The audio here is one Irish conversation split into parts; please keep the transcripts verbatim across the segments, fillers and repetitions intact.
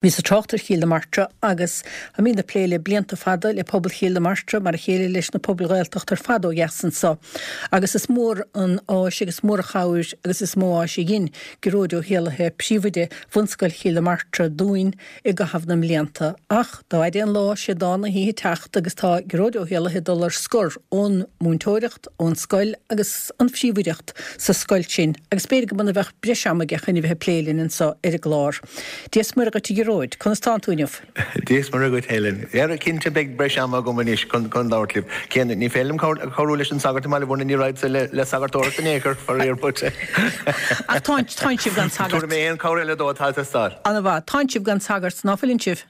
Bhíos ag trácht ar Chill na Martra agus táimid ag plé le blianta fada le pobal Chill na Martra mar a chéile leis na pobail Ghaeltachta ar fad ó dheas anseo. Agus is mór an áis agus mór an chabhair agus is mó áis a dhein Gearóid Ó hÉallaithe, príomhoide Bhunscoil Chill na Martra dúinn i gcaitheamh na mblianta. Ach dá fhaide an lá sé dán na hoíche teacht agus tá Gearóid Ó hÉallaithe ag dul ar scor ón múinteoireacht, ón scoil agus an phríomhoideacht sa scoil sin agus b'fhéidir go mba bheadh breis ama aige chun a bheith ag plé linn anseo ar an gclár. Dia is Muire dhuit a Ghearóid, conas tánn tú inniu? Dia is Muire dhuit Helen. Ara cinnte beidh breis ama agam anois chun chun labhairt libh. Cé ní féidir liom cabhrú leis an sagart i mBaile Bhuirne ní raghadsa le le sagartóireacht in aon chor faraor but. Ach tá tá sibh gan sagart. Tabharfaidh mé aon chabhair eile dó atá ag teastáil. An-mhaith, tá sibh gan sagart ná fuileann sibh?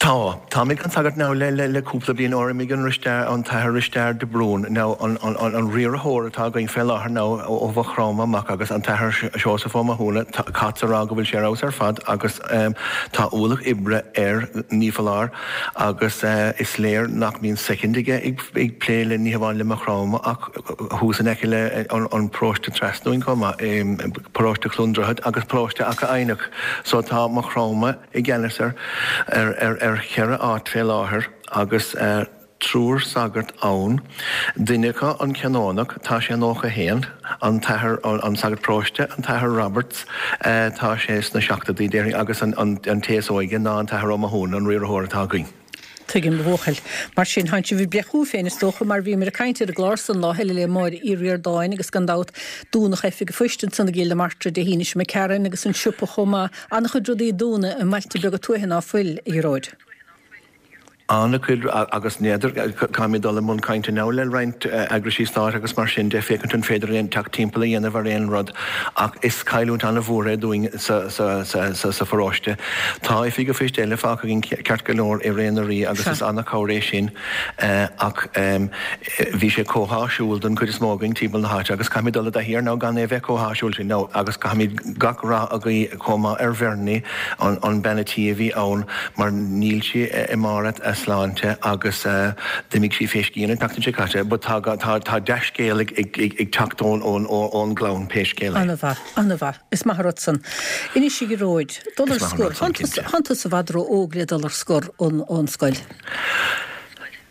Tá. Táimid gan sagart now le le le cúpla bliain ó imigh an Risteard an tAthair Risteard de Brún now an an an an riarthóir atá againn fé láthair now ó Mhaigh Chromtha amach agus an tAthair Seosamh Ó Mathúna tá caithfeadsa a rá go bhfuil sé ar fheabhas ar fad agus tá ualach oibre air ní foláir agus is léir nach mbíonn soicind aige ag ag plé le ní hamháin le Maigh Chromtha ach thuas in aice le an an paróiste trasna uainn chomh maith paróiste Chluain Droichead agus paróiste Achadh Eidhneach so tá Maigh Chromtha i gceannas ar ar ar cheithre áit fé láthair agus triúr sagart ann. Duine acu an Canónach, tá sé nócha haon, an tAthair an sagart paróiste, an tAthair Roberts, tá sé sna seachtóidí déarfainn agus an an té is óige ná an tAthair Ó Mathúna, an riarthóir atá againn. Tuigim, a bhuachaill. Mar sin, tánn sibh ag breith chugaibh féin, is dócha, mar bhíomar ag caint ar an gclár san lá eile le Máire Uí Ríordáin agus gan dabht dúnadh oifig an phoist ansan i gCill na Martra Dé hAoine seo imigh tharainn agus an siopa chomh maith. An-chuid rudaí ag dúnadh i mbailte beaga tuaithe ná fuil, a Ghearóid. An-chuid agus n'fheadar, caithfimid dul i mbun cainte now le roinnt eagraisí stáit agus mar sin de féachaint an féidir linn teacht timpeall a dhéanamh ar aon rud ach is cailliúint an-mhór é dúinn sa sa sa sa pharóiste. Tá oifig an phoist eile fágtha againn ceart go leor i Ré na Rí agus is an-chabhair é sin ach bhí sé chomh háisiúil don chuid is mó againn timpeall na háite agus caithfimid dul i dtaithí air now gan é a bheith chomh háisiúil sin now agus caithfimid gach rath a ghuí chomh maith ar Bhernie an an bean a' tí a bhí ann mar níl sí i mbarr a sláinte agus d'imigh sí fé scian an tseachtain seo caite but tá tá tá dea-scéal ag ag ag teacht ón ón ón gclann pé scéal é. An-mhaith, an-mhaith. Is maith an rud san. Anois a Ghearóid, dul ar Is maith an scor. rud san, cinnte. Tánn tusa i bhfad ró-óg le dul ar scor ón ón scoil.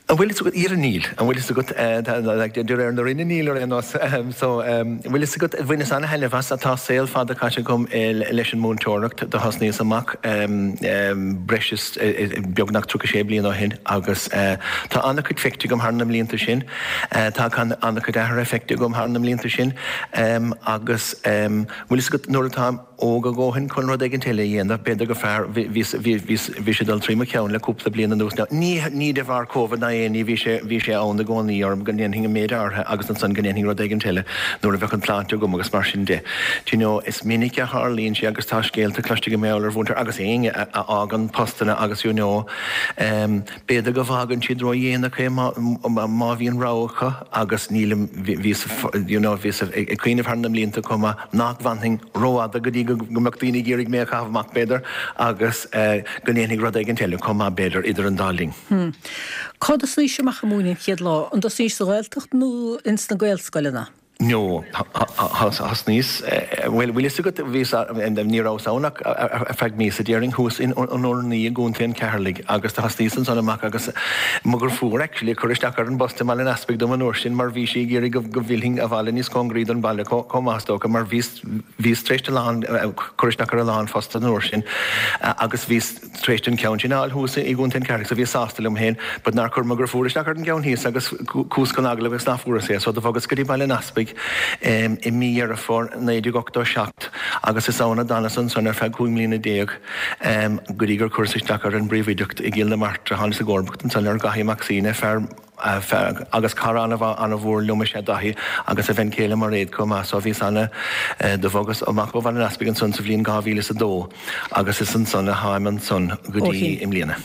An bhfuil fhios agat, ara níl, an bhfuil fhios agat, like de réir na Roinne níl ar aon nós, so bhfuil fhios agat, bhaineas ana-thaitneamh as, tá saol fada caite agam leis an múinteoireacht, do thosnaíos amach breis is beagnach tríocha sé bliain ó shin agus tá ana-chuid feicthe agam thar na mblianta sin, tá ana-chuid athruithe feicthe agam thar na mblianta sin agus bhfuil fhios agat nuair atá óg a dhóthain chun rud éigint eile a dhéanamh, b'fhéidir gur fearr, bhí, bhí, bhí, bhí sé ag dul trí mo cheann le cúpla bliain anuas now, ní, ní de bharr Covid ná aon ní, bhí sé, bhí sé ann i gcónaí orm go ndéanfainn an méid áirithe agus ansan go ndéanfainn rud éigint eile nuair a bheadh an tsláinte agam agus mar sin de. Do you know, is minic a tharlaíonn sé agus tá scéalta cloiste agam mar gheall ar mhúinteoirí agus éinne a, a fhágann postanna agus you know, em, B'fhéidir go bhfágann siad ródhéanach é má bhíonn rogha acu agus nílim, bhíos, you know, bhíos ag cuimhneamh thar na mblianta chomh maith nach bhfanfainn rófhada go dtí go mbeadh daoine ag iarraidh mé a chaitheamh amach b'fhéidir agus go ndéanfainn rud éigin eile chomh maith b'fhéidir idir an dá linn. Cá dtosnaís amach ag múineadh an chéad lá? An dtosnaís sa Ghaeltacht nó ins na Gaelscoileanna? No, thosnaíos, bhuel, bhfuil fhios agat, bhíos, ní rabhas ann ach ar feadh míosa, déarfainn, thuas in an Urnaí i gContae an Cheatharlaigh agus do thosnaíos ansan amach agus mo dheirfiúr actually ag cur isteach ar an bpost i mBaile an Easpaig dom an uair sin mar bhí sí ag iarraidh go go bhfillfinn abhaile níos cóngaraí don bhaile chomh maith is dócha mar bhíos, bhíos tar éis a lán, cur isteach ar a lán phost an uair sin agus bhíos. tar éis an ceann sin a fháil thuas i gContae an Cheatharlaigh so bhíos sásta liom féin but nár chuir mo dheirfiúr isteach ar an gceann thíos agus chuas chun agallaimh agus nach bhfuaireas é so do bhogas go dtí Baile an Easpaig i mí Dheireadh Fómhair naoi déag ochtó seacht agus is ann a d'fhanas ansan ar feadh cúig mbliana déag go dtí gur chuireas isteach ar an bpríomhoideacht i gCill na Martra. Thánas i gcomharbacht ansan ar Dhaithí Mac Suibhne, fear agus cara an-mhór liom is ea Daithí agus a bhean chéile Mairéad chomh maith so bhíos ana do bhogas amach ó Bhaile an Easpaig ansan sa bhliain dhá mhíle is a dó agus is ansan a tháim ansan go dtí i mbliana.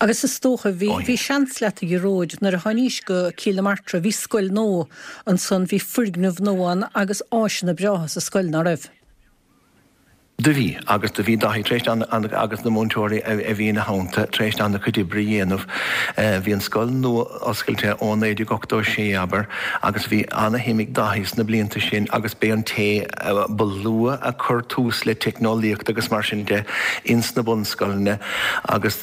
Agus is dócha bhí bhí seans leat a Ghearóid nuair a tháinís go Cill na Martra bhí scoil nua ansan bhí foirgneamh nua ann agus áiseanna breátha sa scoil ná raibh? Do bhí, agus do bhí Dáithí tar éis agus na múinteoirí a bhí ina theannta tar éis an-chuid oibre a dhéanamh. Bhí an scoil nua oscailte ó naoi déag ochtó a sé, abair, agus bhí ana-shuim ag Dáithí sna blianta sin agus b'é an té ba luath a chuir tús le teicneolaíocht agus mar sin de ins na bunscoileanna agus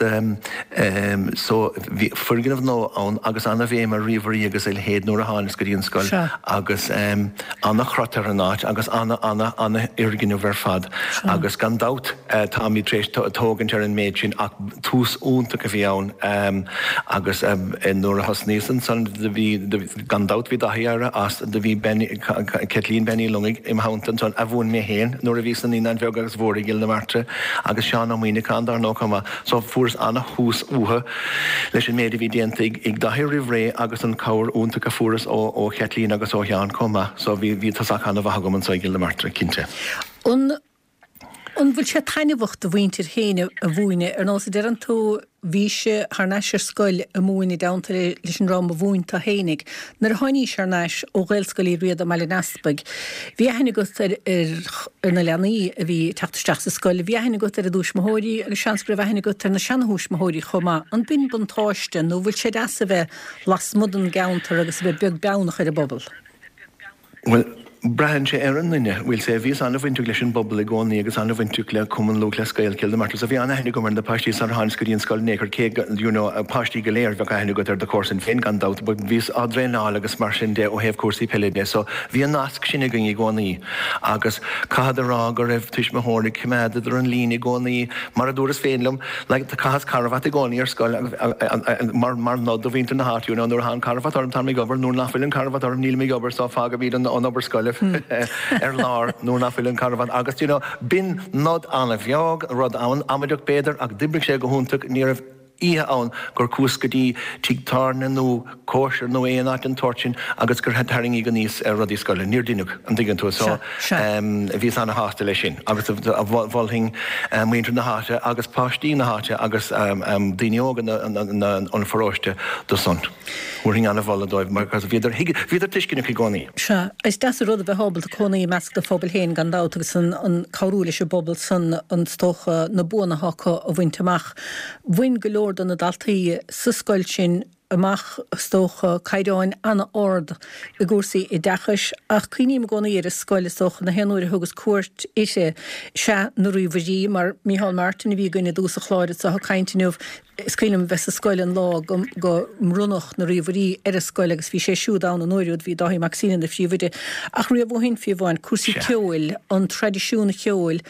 so bhí foirgneamh nua ann agus ana-bhéim ar ríomhairí agus a leithéid nuair a tháinig go dtí an scoil agus ana-chrot ar an áit agus ana ana ana-fhoirgneamh ar fad agus gan dabht táimid tar éis tógaint ar an méid sin ach tús iontach a bhí ann agus nuair a thosnaíos ansan do bhí gan dabht bhí Dáithí éirithe as do bhí Caitlín Bean Uí Longaigh im theannta ansan a mhúin mé féin nuair a bhíos sna Naíonáin Bheaga agus Mhóra i gCill na Martra agus Seán Ó Muíneacháin dar ndóigh chomh maith so fuaireas ana-thús uathu leis an méid a bhí déanta ag Dáithí roimh ré agus an cabhair iontach a fuaireas ó ó Chaitlín agus ó Sheán chomh maith so bhí bhí tosach ana-mhaith agam anso i gCill na Martra cinnte. An An bhfuil sé taitneamhach do mhuintir féin a mhúineadh? Ar nós a deireann tú, bhís thar n-ais ar scoil ag múineadh i dteannta leis an dream a mhúin tú fhéinig. Nuair a tháinís thar n-ais ó Ghaelscoil Uí Riada i mBaile an Easpaig, bhí aithne agat ar ar na leanaí a bhí ag teacht isteach sa scoil, bhí aithne agat ar a dtuismitheoirí agus seans go raibh aithne agat ar na seanathuismitheoirí chomh maith. An b'in buntáiste nó bhfuil sé deas a bheith lasmuigh den gceantar agus a bheith beag beannach ar an bpobal? Bhuel, braitheann sé ar an nduine. Bhuel, sea, bhíos an-bhainteach leis an bpobal i gcónaí agus an-bhainteach le Cumann Lúthchleas Gael Chill na Martra. So bhí an-aithne agam ar na páistí sar tháinig go dtí an scoil in aon chor, cé go, you know, páistí go léir, bheadh aithne agat ar do chomharsain féin gan dabht, but bhíos á dtraenáil agus mar sin de ó thaobh cúrsaí peile de. So bhí an nasc sin againn i gcónaí agus caithfead a rá go raibh tuismitheoirí ag coimeád idir an líne i gcónaí, mar a dúras féin liom, like, chaitheas carbhat i gcónaí ar scoil mar, mar nod do mhuintir na háite, you know, nuair atá an carbhat orm táim ag obair, nuair nach bhfuil an carbhat orm nílim ag obair, so fágaimid an, an obair scoile ar lár nuair nach bhfuil an carbhat agus, you know, b'in nod an-bheag, rud an-amaideach b'fhéidir ach d'oibrigh sé go hiontach, ní raibh oíche ann gur chuas go dtí tigh tábhairne nó cóisir nó aon áit den tsórt sin agus gur tarraingíodh aníos ar rudaí scoile. Níor deineadh, an dtuigeann tú. So bhíos ana-shásta leis sin agus mholfainn muintir na háite agus páistí na háite agus daoine óga an pharóiste do san. Thabharfainn ana-mholadh dóibh mar bhíodar, bhíodar tuisceanach i gcónaí. Sea, is deas an rud a bheith ábalta cónaí i measc do phobail féin gan dabht agus an cabhrú leis an bpobal san an is dócha na buanna atá acu a bhaint amach. Bhain go leor de na daltaí sa scoil sin amach is dócha caighdeáin an-ard i gcúrsaí oideachais ach cuimhním i gcónaí ar an scoil is dócha na haon uair a thugas cuairt uirthi sea na ríomhairí mar Micheál Martin a bhí againn i dtús an chláir anseo ag caint inniu Is cuimhin liom bheith sa scoil an lá go go mbronnadh na ríomhairí ar an scoil agus bhí sé siúd ann an uair úd, bhí Dáithí Mac Suibhne ina phríomhoide. Ach riamh ó shin, fiú amháin, cúrsaí ceoil, an traidisiún cheoil,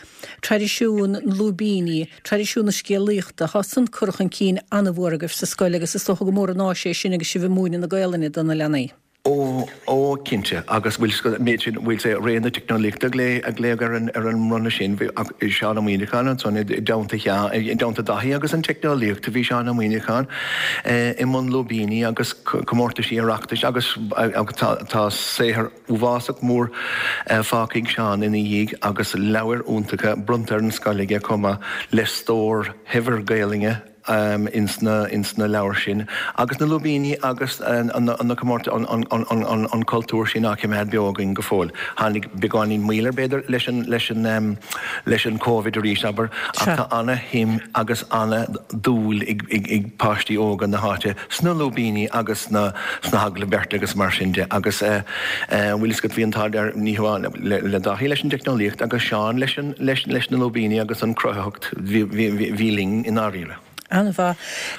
traidisiún na lúibíní, traidisiún na scéalaíochta, tá san curtha chun cinn an-mhór agaibh sa scoil agus is dócha go mór an áis é sin agus sibh ag múineadh na Gaelainne do na leanaí. Ó, ó, cinnte, agus bhfuil an méid sin, bhfuil sé, ré na teicneolaíochta a glaodh ar an, ar an mbronnadh sin, bhí, ach Seán Ó Muíneacháin ansan i dteannta Sheáin, i dteannta Dáithí agus an teicneolaíocht, bhí Seán Ó Muíneacháin i mbun lúibíní agus comórtaisí Oireachtais agus, agus tá, tá saothar uafásach mór fágtha ag Seán ina dhiaidh agus leabhair iontacha bronnta ar an scoil aige chomh maith le stór shaibhir Gaelainne. ins na ins na leabhair sin agus na lúibíní agus na comórtais an cultúr sin á choimeád beo againn go fóill. Tháinig beagáinín moill air b'fhéidir leis an leis an leis an Covid arís abair ach tá ana-shuim agus ana-dhúil ag ag ag páistí óga na háite sna lúibíní agus sna sna hagallaimh beirte agus mar sin de agus bhfuil fhios agat bhí an t-ádh ar ní hamháin le le Dáithí leis an dteicneolaíocht agus Seán leis an leis leis na lúibíní agus an chruthaitheacht bhí bhí bhí linn i ndáiríre. An-mhaith.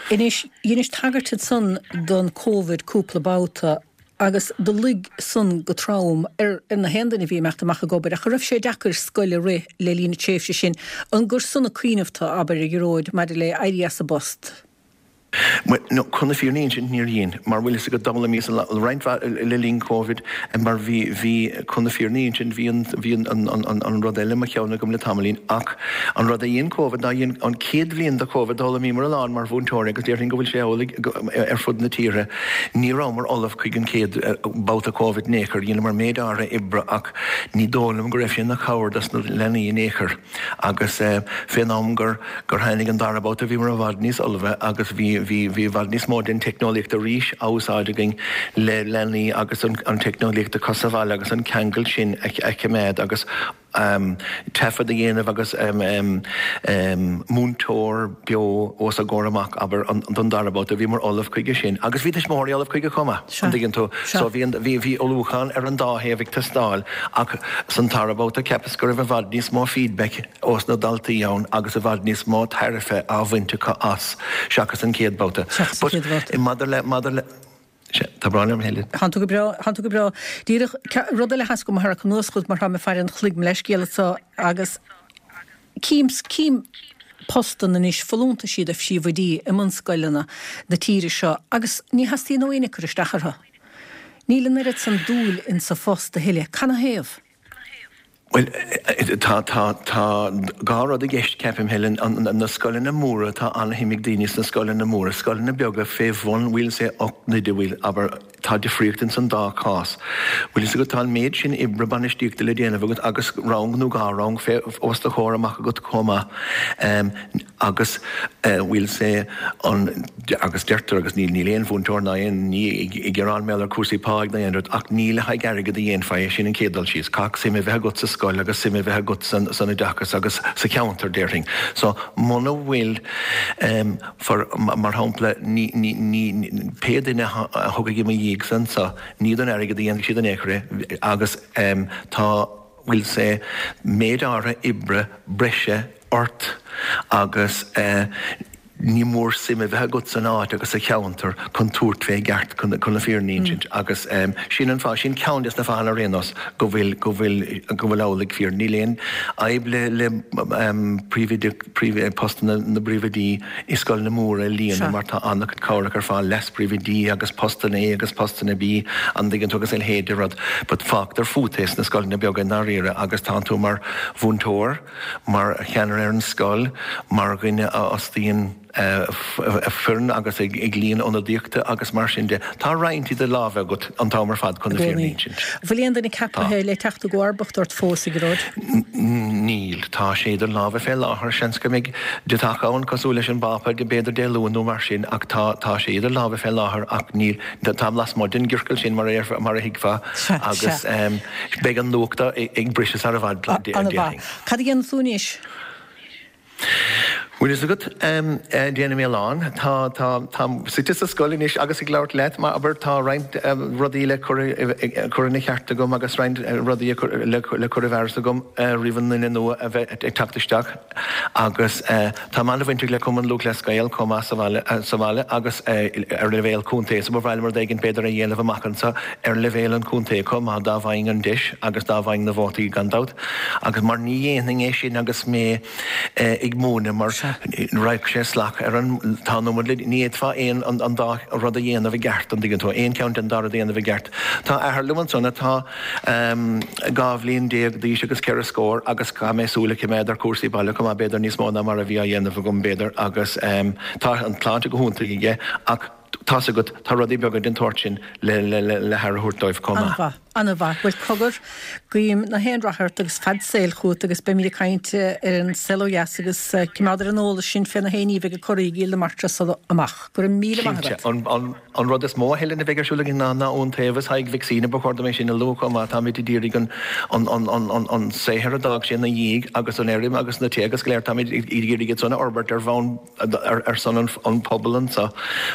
Anois, dheinis tagairt ansan don Covid cúpla babhta agus do luigh san go trom ar na haon duine a bhí ag imeacht amach ag obair ach an raibh sé deacair scoil a rith le linn na tréimhse sin? An gur san a cuimhneamh tú, abair, a Ghearóid, maidir le éirí as an bpost? Bhuel, no, chun na fírinne a insint, níor dhein, mar bhfuil fhios agat, d'fhoghlaimíos roinnt mhaith le linn Covid, mar bhí, bhí, chun na fírinne a insint, bhí an, bhí an, an, an, an rud eile i mo cheann agam le tamaillín, ach an rud a dhein Covid ná dhein an chéad bhliain de Covid, d'fhoghlaimíomar a lán mar mhúinteoirí agus déarfainn go bhfuil sé amhlaidh ar fud na tíre, ní rabhamar ullamh chuig an chéad babhta Covid in aon chor, dheineamar méid áirithe oibre ach ní dóigh liom go raibh sé ina chabhair dos na leanaí in aon chor agus fén am gur, gur tháinig an dara babhta bhíomar i bhfad níos ullmhaithe agus bhí bhí bhí i bhfad níos mó den teicneolaíocht arís á úsáid againn le leanaí agus an an teicneolaíocht acu sa bhaile agus an ceangal sin a a choimeád agus um, taifead a dhéanamh agus um, um, um, múinteoir beo os a gcomhair amach abair an don dara babhta bhíomar ullamh chuige sin agus bhí tuismitheoirí ullamh chuige chomh maith an dtuigeann tú so bhí bhí bhí ullmhúchán ar an dá thaobh ag teastáil ach san tara babhta cheapas go raibh i bhfad níos mó feedback ós na daltaí ann agus i bhfad níos mó tairbhe á bhaint acu as seachas an chéad babhta. Maidir le maidir le Tá brón orm Helen. Tá tú go breá tá tú go breá. Díreach rud eile theastaigh uaim a tharrac anuas chugat mar tá mé ag faire an chloig mo leithscéal anseo agus cím cím postanna anois folúntaisí do phríomhoidí i mbunscoileanna na tíre seo agus ní theastaíonn ó éinne cur isteach orthu. Níl an oiread san dúil in sa phost a thuilleadh. Canathaobh? Bhuel, tá tá tá dhá rud i gceist ceapaim Helen na scoileanna móra tá an-shuim ag daoine sna scoileanna móra, scoileanna beaga fé bhun we'll say ocht n-oide bhfuil abair tá difríocht ins an dá chás. Bhfuil fhios agat tá an méid sin oibre bainistíochta le déanamh agat agus rang nó dhá rang fé os do chomhair amach agat chomh maith agus we'll say an agus deirtear agus níl níl aon mhúinteoir ná aon ní ag gearán mar gheall ar cúrsaí páigh ná aon rud ach ní le haghaidh airgead a dhéanfá é sin an chéad dul síos. Caithfidh suim a bheith agat sa scoil agus suim a bheith agat san san oideachas agus sa cheantar déarfainn. So muna bhfuil um, for, mar shampla ní ní ní pé duine a thiocfaidh i mo dhiaidh anso ní don airgead a dhéanfaidh siad in aon chor é agus um, tá we'll say méid áirithe oibre breise ort agus uh, ní mór suim a bheith agat san áit agus sa cheantar chun tabhairt fé i gceart chun chun na fírinne a insint agus um, sin an fáth sin ceann des na fáthanna ar aon nós go bhfuil go bhfuil go bhfuil amhlaidh fíor. Níl aon fhadhb le le um, príomhoide príomh postanna na bpríomhoidí i scoileanna móra a líonadh mar tá an-chuid cabhrach ar fáil leas-phríomhoidí agus postanna A agus postanna B an dtuigeann tú agus a leithéid de rud, but fágtar fút é sna scoileanna beaga i ndáiríre agus tánn tú mar mhúinteoir, mar cheannaire ar an scoil, mar dhuine a fhostaíonn foireann agus ag líon ionadaíochta agus mar sin de. Tá roinnt i do lámha agat an t-am ar fad chun na fírinne a insint. Bhfuil aon duine ceaptha le teacht i gcomharbacht ort fós, a Ghearóid? Níl. Tá sé idir lámha fé láthair. Seans go mbeidh deatach ann cosúil leis an bPápa b'fhéidir Dé Luain nó mar sin ach tá tá sé idir lámha fé láthair ach níl táim lasmuigh den gciorcal sin mar a mar a thuigfeá agus beidh an nuacht ag briseadh sar i bhfad déarfainn. Cad a dhéanann tú anois? Bhfuil fhios agat, déanaim a lán. Tá, tá, táim suite sa scoil anois agus ag labhairt leat, mar abair, tá roinnt rudaí le cur, cur ina cheart agam agus roinnt rudaí le, le cur i bhfearas agam roimh an nduine nua a bheith ag teacht isteach. Agus táim an-bhainteach le Cumann Lúthchleas Gael chomh maith sa bhaile, sa bhaile agus ar leibhéal contae. So ba bhreá liom rud éigin b'fhéidir a dhéanamh amach anseo ar leibhéal an chontae chomh maith dá bhfaighinn an deis agus dá bhfaighinn na vótaí gan dabht. Agus mar ní dhéanfainn é sin agus mé ag múineadh mar raghadh sé salach ar an tá an iomad le ní fhéadfá aon an an dá rud a dhéanamh i gceart an dtuigeann tú aon cheann den dá rud a dhéanamh i gceart. Tá athair liom ansan atá dhá bhliain déag d'aois agus ceithre scór agus caithfidh mé súil a choimeád ar chúrsaí baile chomh maith b'fhéidir níos mó ná mar a bhí á dhéanamh agam b'fhéidir agus tá an tsláinte go hiontach aige ach tá's agat, tá rudaí beaga den tsórt sin le le haire a thabhairt dóibh chomh maith. An-mhaith, an-mhaith. Bhuel, cogar, guím na haon rath ort agus fad saoil chugat agus beimid ag caint ar an Saol Ó Dheas agus coimeád ar an eolas sinn fé na haon ní a bheidh ag corraí i gCill na Martra sula amach. Go raibh míle maith Cinnte. agat. An, an, an rud is mó a Helen a bheidh ar siúl againn ná ná Iontaobhas Thaidhg Mhic Suibhne, ba chóir dom é sin a lua chomh maith. Táimid ag iarraidh an, an, an, an, an, an saothar a d'fhág sé ina dhiaidh agus an fheirm agus na tithe agus go léir, táimid ag iarraidh iad san a fhorbairt ar bhonn ar son an pobal anseo.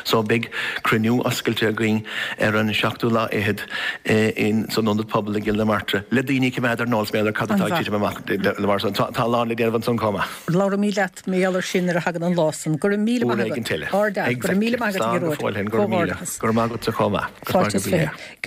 So beidh cruinniú oscailte againn ar an seachtú lá fhichead in san Ionad Pobail i gCill na Martra le daoine a choimeád ar an eolas maidir le cad atá ag titim amach mar san. Tá a lán le déanamh ansan chomh maith. Labhróimid leat mar gheall air sin nuair a thagann an lá san. Go raibh míle maith Uair éigin agat. eile. Ard-fhear. Go raibh míle Exactly. maith agat, a Slán go Ghearóid. fóill, Helen. Go raibh míle. Comhghairdeachas. Go raibh maith agatsa chomh maith. Go Fáilte is maith go fiche. bhfiche.